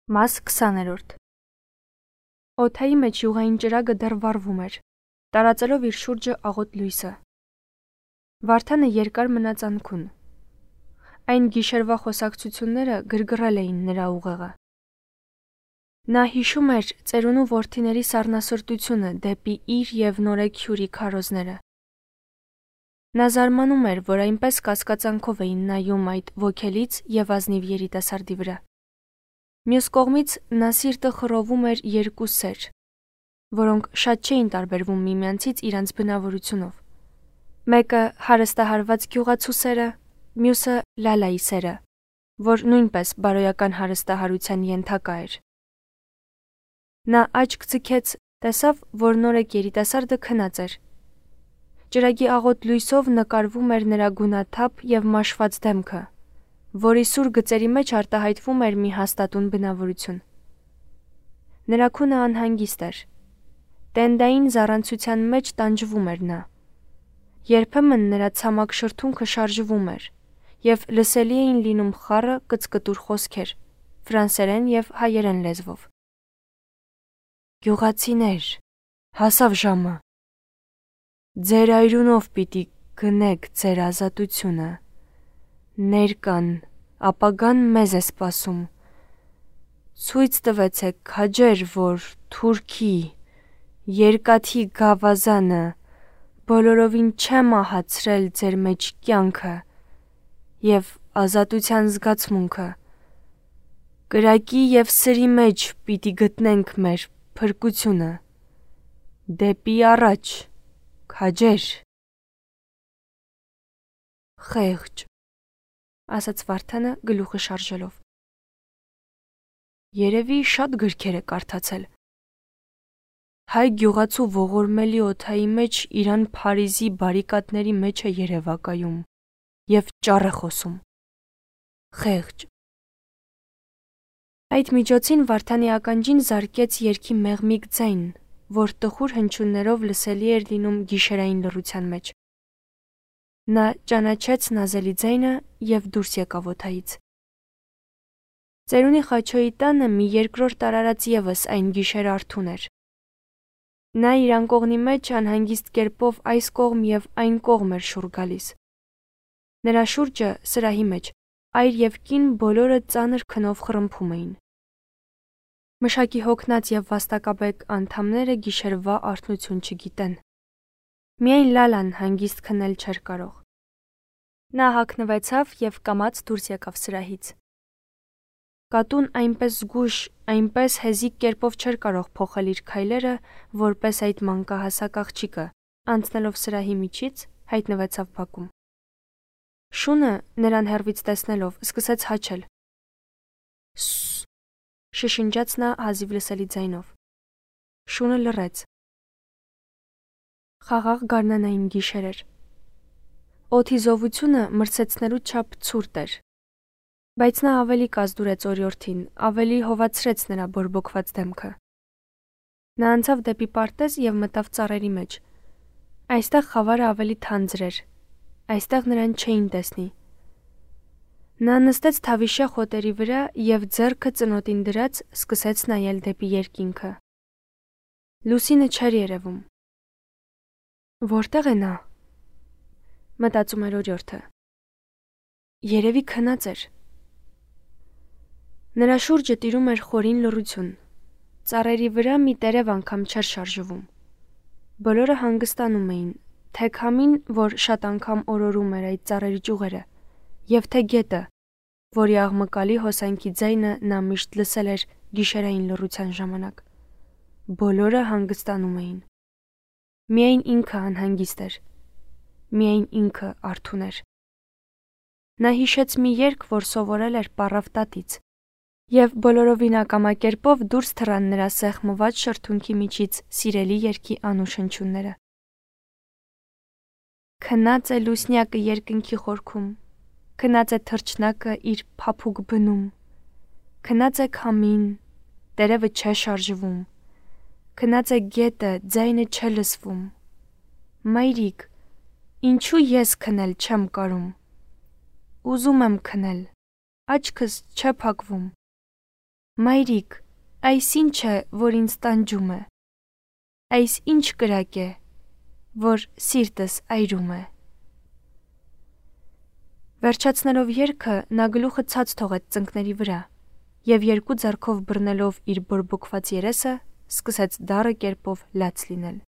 Մաս 20-րդ Օդայի մեջ յուղային ճրագը դեռ վառվում էր, տարածելով իր շուրջը աղոտ լույսը։ Վարդանը երկար մնաց անքուն։ Այն գիշերվա խոսակցությունները գրգռել էին նրա ուղեղը։ Նա հիշում էր ծերունու որդիների սառնասրտությունը դեպի իր և նորեքյուրի քարոզները։ Նա զարմանում էր, որ այնպես կասկածանքով էին նայում այդ ոգելից և ազնիվ երիտասարդի վրա։ Մյուս կողմից նա սիրտը խռովում էր երկու սեր, որոնք շատ չէին տարբերվում միմյանցից իրենց բնավորությունով։ Մեկը հարստահարված գյուղացու սերը, մյուսը Լալայի սերը, որ նույնպես բարոյական հարստահարության ենթակա էր։ Նա աչք ձգեց, տեսավ, որ նորեկ երիտասարդը քնած էր։ Ճրագի աղոտ լույսով նկարվում էր նրա գունաթափ և մաշված դեմքը, որի սուր գծերի մեջ արտահայտվում էր մի հաստատուն բնավորություն։ Նրա քունը անհանգիստ էր։ Տենդային զառանցության մեջ տանջվում էր նա։ Երբեմն նրա ցամաք շրթունքը շարժվում էր, և լսելի էին լինում խառը կծկտուր խոսքեր, ֆրանսերեն և հայերեն լեզվով։ Գյուղացիներ, հասավ ժամը։ Ձեր այրունով պիտի գնեք ձեր ազատությունը։ Ներկան, ապագան մեզ է սպասում։ Ցույց տվեցեք քաջեր, որ Թուրքի, երկաթի գավազանը բոլորովին չէ մահացրել ձեր մեջ կյանքը և ազատության զգացմունքը։ Կրակի և սրի մեջ պիտի գտնենք մեր փրկությունը։ Դեպի առաջ, քաջեր։ Խեղճ, ասաց Վարդանը գլուխը շարժելով։ Երևի շատ գրքեր է կարդացել։ Հայ գյուղացու ողորմելի օդայի մեջ իրան Փարիզի բարիկադների մեջ է երևակայում և ճառ է խոսում։ Խեղճ։ Այդ միջոցին Վարդանի ականջին զարկեց երգի մեղմիկ ձայն, որ տխուր հնչյուններով լսելի էր լինում գիշերային լռության մեջ։ Նա ճանաչեց նազելի ձայնը և դուրս եկավ օդայից։ Ծերունի Խաչոյի տանը մի երկրորդ արարած ևս այն գիշեր արթուն էր։ Նա իր անկողնի մեջ անհանգիստ կերպով այս կողմ և այն կողմ էր շուռ գալիս։ Նրա շուրջը, սրահի մեջ, այր և կին բոլորը ծանր քնով խռմփում էին։ Մշակի հոգնած և վաստակաբեկ անդամները գիշերվա արթնություն չգիտեն։ Միայն Լալան հանգիստ քնել չէր կարող։ Նա հագնվեցավ և կամաց դուրս եկավ սրահից։ Կատուն այնպես զգույշ, այնպես հեզիկ կերպով չէր կարող փոխել իր քայլերը, որպես այդ մանկահասակ աղջիկը, անցնելով սրահի միջից, հայտնվեցավ բակում։ Շունը, նրան հեռվից տեսնելով, սկսեց հաչել։ Սուս, շշնջաց նա հազիվ լսելի ձայնով։ Շունը լռեց։ Խաղաղ գարնանային գիշեր էր։ Օդի զովությունը մրցեցնելու չափ ցուրտ էր, բայց նա ավելի կազդուրեց օրիորդին, ավելի հովացրեց նրա բորբոքված դեմքը։ Նա անցավ դեպի պարտեզ և մտավ ծառերի մեջ։ Այստեղ խավարը ավելի թանձր էր, այստեղ նրան չէին տեսնի։ Նա նստեց թավիշյա խոտերի վրա և ձեռքը ծնոտին դրած սկսեց նայել դեպի երկինքը։ Լուսինը չէր երևում։ Որտե՞ղ է նա, մտածում էր օրիորդը։ Երևի քնած էր։ Նրա շուրջը տիրում էր խորին լռություն։ Ծառերի վրա մի տերև անգամ չէր շարժվում։ Բոլորը հանգստանում էին, թե քամին, որ շատ անգամ օրորում էր այդ ծառերի ճյուղերը, և թե գետը, որի աղմկալի հոսանքի ձայնը նա միշտ լսել էր գիշերային լռության ժամանակ։ Բոլորը հանգստանում էին։ Միայն ինքը անհանգիստ էր։ Միայն ինքը արթուն էր։ Նա հիշեց մի երգ, որ սովորել էր պառավ տատից, և բոլորովին ակամա կերպով դուրս թռան նրա սեղմված շրթունքի միջից սիրելի երգի անուշ հնչյունները։ Քնած է լուսնյակը երկնքի խորքում, քնած է թռչնակը իր փափուկ բնում, քնած է քամին, տերևը չէ շարժվում, քնած է գետը, ձայնը չէ լսվում։ Մայրիկ, ինչու ես քնել չեմ կարում։ Ուզում եմ քնել, աչքս չէ փակվում։ Մայրիկ, այս ինչ է, որ ինձ տանջում է, այս ինչ կրակ է, որ սիրտս այրում է։ Վերջացնելով երգը, նա գլուխը ցած թողեց ծնկների վրա և երկու ձեռքով բռնելով իր բորբոքված երեսը, սկսեց դառը կերպով լաց լինել։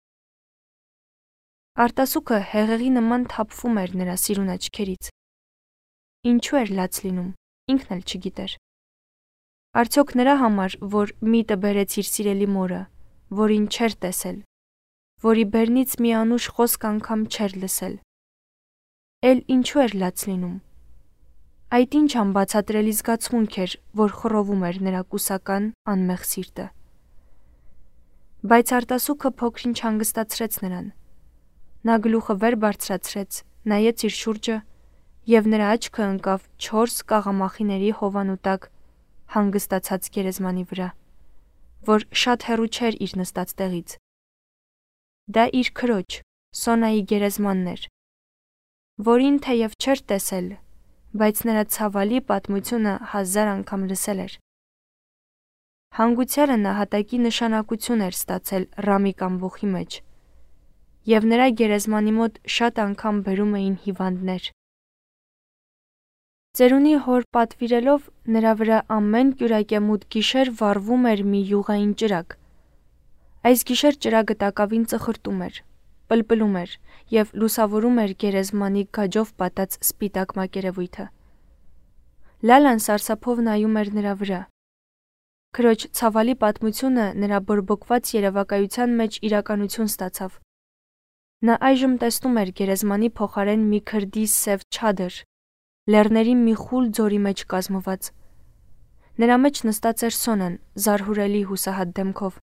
Արտասուքը հեղեղի նման թափվում էր նրա սիրուն աչքերից։ Ինչու էր լաց լինում, ինքն էլ չգիտեր։ Արդյոք նրա համար, որ միտը բերեց իր սիրելի մորը, որին չէր տեսել, որի բերնից մի անուշ խոսք անգամ չէր լսել։ Էլ ինչու էր լաց լինում։ Այդ ինչ անբացատրելի զգացմունք էր, որ խռովում էր նրա կուսական անմեղ սիրտը։ Բայց արտասուքը փոքր-ինչ հանգստացրեց նրան։ Նա գլուխը վեր բարձրացրեց, նայեց իր շուրջը և նրա աչքը ընկավ 4 կաղամախիների հովանու տակ հանգստացած գերեզմանի վրա, որ շատ հեռու չէր իր նստած տեղից։ Դա իր քրոջ, Սոնայի գերեզմանն էր, որին թեև չէր տեսել, բայց նրա ցավալի պատմությունը 1000 անգամ լսել էր։ Հանգուցյալը նահատակի նշանակություն էր ստացել Ռամիկ ամբոխի մեջ, և նրա գերեզմանի մոտ շատ անգամ բերում էին հիվանդներ։ Ծերունի հոր պատվիրելով նրա վրա ամեն կյուրակեմուտ գիշեր վառվում էր մի յուղային ճրագ։ Այս գիշեր ճրագը տակավին ծխրտում էր, պլպլում էր և լուսավորում էր գերեզմանի գաջով պատած սպիտակ մակերևույթը։ Լալան սարսափով նայում էր նրա վրա։ Քրոջ ցավալի պատմությունը նրա բորբոքված երևակայության մեջ իրականություն ստացավ։ Նա այժմ տեսնում էր գերեզմանի փոխարեն մի քրդի սև չադր, լեռների մի խուլ ձորի մեջ կազմված։ Նրա մեջ նստած էր Սոնան, զարհուրելի հուսահատ դեմքով։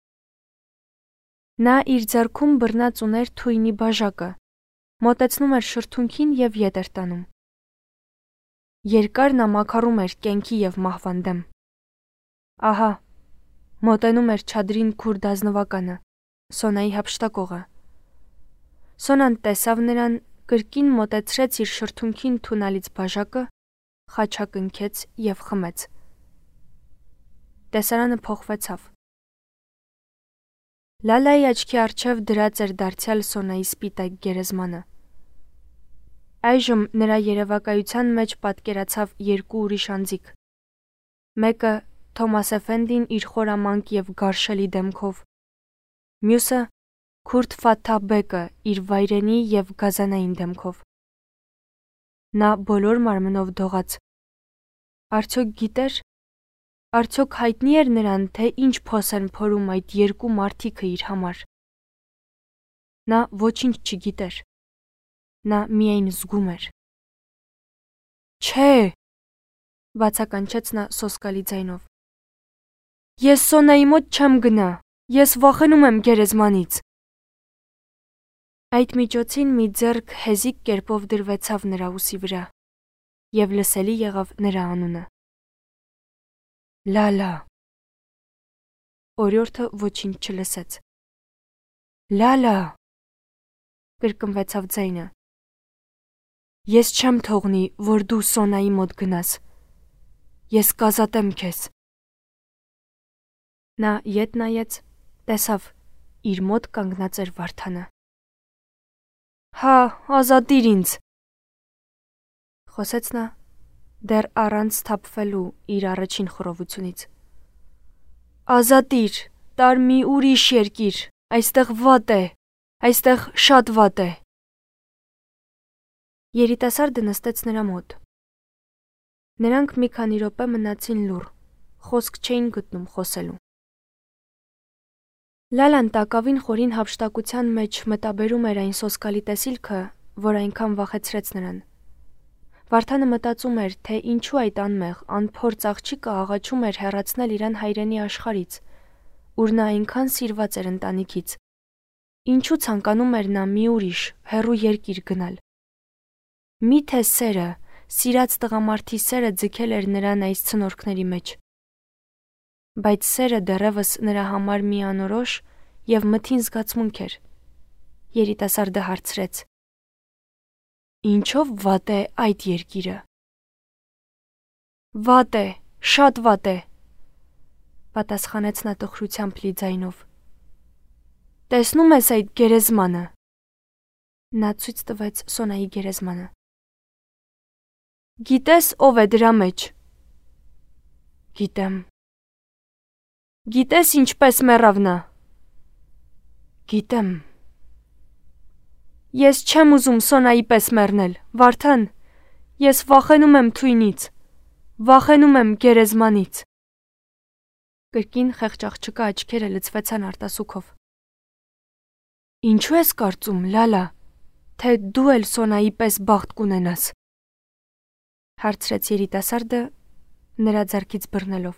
Նա իր ձեռքում բռնած ուներ թույնի բաժակը, մոտեցնում էր շրթունքին և ետ էր տանում։ Երկար նա մաքարում էր կյանքի և մահվան դեմ։ Ահա, մոտենում էր չադրին քուրդ ազնվականը, Սոնայի հափշտակողը։ Սոնան տեսավ նրան, կրկին մոտեցրեց իր շրթունքին թունալից բաժակը, խաչակնքեց և խմեց։ Տեսարանը փոխվեցավ։ Լալայի աչքի առջև դրած էր դարձյալ Սոնայի սպիտակ գերեզմանը։ Այժմ նրա երևակայության մեջ պատկերացավ երկու ուրիշ անձիկ։ Մեկը Թոմաս Էֆենդին իր խորամանկ և գարշելի դեմքով, մյուսը Քուրդ Ֆաթահ բեկը իր վայրենի և գազանային դեմքով։ Նա բոլոր մարմնով դողաց։ Արդյոք գիտեր, արդյոք հայտնի էր նրան, թե ինչ փոս են փորում այդ երկու մարդիկը իր համար։ Նա ոչինչ չգիտեր։ Նա միայն զգում էր։ Չէ, բացականչեց նա սոսկալի ձայնով։ Ես Սոնայի մոտ չեմ գնա, ես վախենում եմ գերեզմանից։ Այդ միջոցին մի ձեռք հեզիկ կերպով դրվեցավ նրա ուսի վրա և լսելի եղավ նրա անունը։ Լալա։ Օրիորդը ոչինչ չլսեց։ Լալա, կրկնվեցավ ձայնը։ Ես չեմ թողնի, որ դու Սոնայի մոտ գնաս։ Ես կազատեմ քեզ։ Նա ետ նայեց, տեսավ, իր մոտ կանգնած էր Վարդանը։ Հա, ազատիր ինձ, խոսեց նա, դեռ առանց սթափվելու իր առաջին խռովությունից։ Ազատիր, տար մի ուրիշ երկիր, այստեղ վատ է, այստեղ շատ վատ է։ Երիտասարդը նստեց նրա մոտ։ Նրանք մի քանի րոպե մնացին լուռ, խոսք չէին գտնում խոսելու։ Լալան տակավին խորին հափշտակության մեջ մտաբերում էր այն սոսկալի տեսիլքը, որ այնքան վախեցրեց նրան։ Վարդանը մտածում էր, թե ինչու այդ անմեղ, անփորձ աղջիկը աղաչում էր հեռացնել իրան հայրենի աշխարհից, ուր նա այնքան սիրված էր ընտանիքից։ Ինչու ցանկանում էր նա մի ուրիշ, հեռու երկիր գնալ։ Միթե սերը, սիրած տղամարդի սերը ձգել էր նրան այս ցնորքների մեջ։ Բայց սերը դեռևս նրա համար մի անորոշ և մթին զգացմունք էր։ Երիտասարդը հարցրեց. Ինչով վատ է այդ երկիրը։ Վատ է, շատ վատ է։ պատասխանեց նա տխրությամբ լի ձայնով։ Տեսնում ես այդ գերեզմանը։ Նա ցույց տվեց Սոնայի գերեզմանը։ Գիտես ով է դրա մեջ։ Գիտեմ։ Գիտես ինչպես մեռավ նա։ Գիտեմ։ Ես չեմ ուզում Սոնայի պես մեռնել, Վարդան, ես վախենում եմ թույնից, վախենում եմ գերեզմանից։ Կրկին խեղճ աղջկա աչքերը լցվեցան արտասուքով։ Ինչու ես կարծում, Լալա, թե դու էլ Սոնայի պես բախտ կունենաս։ Հարցրեց երիտասարդը նրա ձեռքից բռնելով։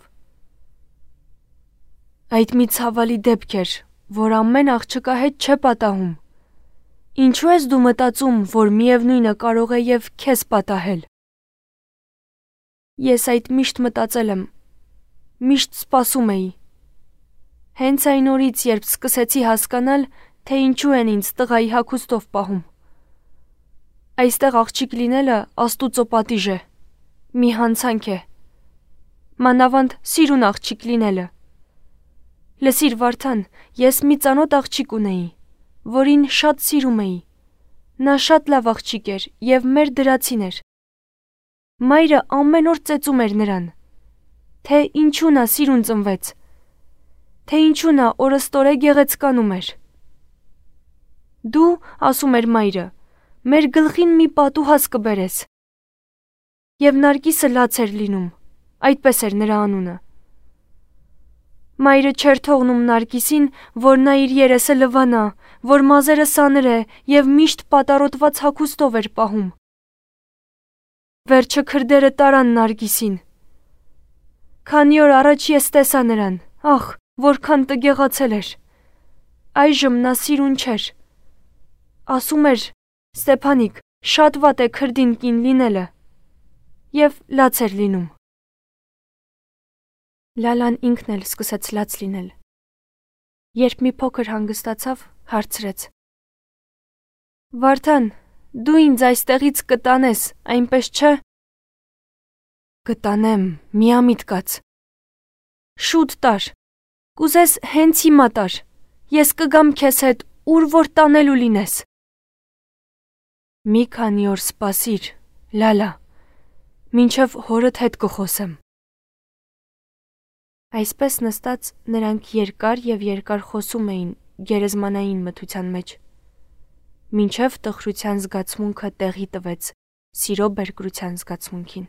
Այդ մի ցավալի դեպք էր, որ ամեն աղջկա հետ չէ պատահում։ Ինչու ես դու մտածում, որ միևնույնը կարող է եւ քեզ պատահել։ Ես այդ միշտ մտածել եմ, միշտ սպասում էի։ Հենց այն օրից, երբ սկսեցի հասկանալ, թե ինչու են ինձ տղայի հագուստով պահում։ Այստեղ աղջիկ լինելը Աստուծո պատիժ է, մի հանցանք է։ Մանավանդ սիրուն աղջիկ լինելը։ Լսիր, Վարդան, ես մի ծանոթ աղջիկ ունեի, որին շատ սիրում էի։ Նա շատ լավ աղջիկ էր եւ մեր դրացին էր։ Մայրը ամեն օր ծեծում էր նրան, թե ինչու նա սիրուն ծնվեց, թե ինչու նա օրստորե գեղեցկանում էր։ Դու, ասում էր մայրը, մեր գլխին մի պատուհաս կբերես։ Եվ Նարգիսը լաց էր լինում, այդպես էր նրա անունը։ Մայրը չէր թողնում Նարգիսին, որ նա իր երեսը լվանա, որ մազերը սանրե եւ միշտ պատառոտված հագուստով էր պահում։ Վերջը քրդերը տարան Նարգիսին։ Քանի օր առաջ ես տեսա նրան, ախ, որքան տգեղացել էր։ Այժմ նա սիրուն չէր։ Ասում էր. Ստեփանիկ, շատ վատ է քրդին կին լինելը։ Եվ լաց էր լինում։ Լալան ինքն էլ սկսեց լաց լինել։ Երբ մի փոքր հանգստացավ, հարցրեց. Վարդան, դու ինձ այստեղից կտանես, այնպես չէ։ Կտանեմ, միամիտ կաց։ Շուտ տար։ Կուզես հենց հիմա տար։ Ես կգամ քեզ հետ, ուր որ տանելու լինես։ Մի քանի օր սպասիր, Լալա, մինչև հորդ հետ կխոսեմ։ Այսպես նստած նրանք երկար եւ երկար խոսում էին գերեզմանային մթության մեջ, մինչև տխրության զգացմունքը տեղի տվեց սիրո բերկրության զգացմունքին։